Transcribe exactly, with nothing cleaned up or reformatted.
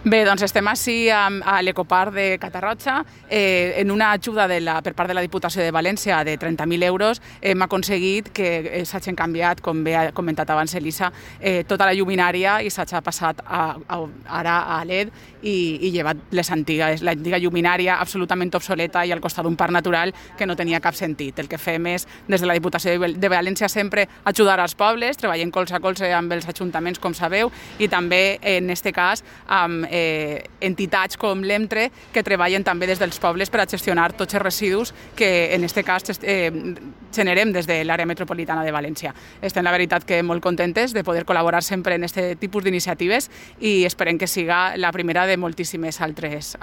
Bé, doncs estem així a, a l'Ecoparc de Catarroja. Eh, en una ajuda de la, per part de la Diputació de València de trenta mil euros hem aconseguit que s'hagin canviat, com bé ha comentat abans Elisa, eh, tota la lluminària i s'hagi passat a, a, ara a L E D i, i llevat les antigues, l'antiga lluminària absolutament obsoleta i al costat d'un parc natural que no tenia cap sentit. El que fem és, des de la Diputació de València, sempre ajudar als pobles, treballant colze a colze amb els ajuntaments, com sabeu, i també, en aquest cas, amb eh, entitats com l'EMTRE, que treballen també des dels pobles per a gestionar tots els residus que, en aquest cas, eh, generem des de l'àrea metropolitana de València. Estem, la veritat, que molt contentes de poder col·laborar sempre en aquest tipus d'iniciatives i esperem que siga la primera de moltíssimes altres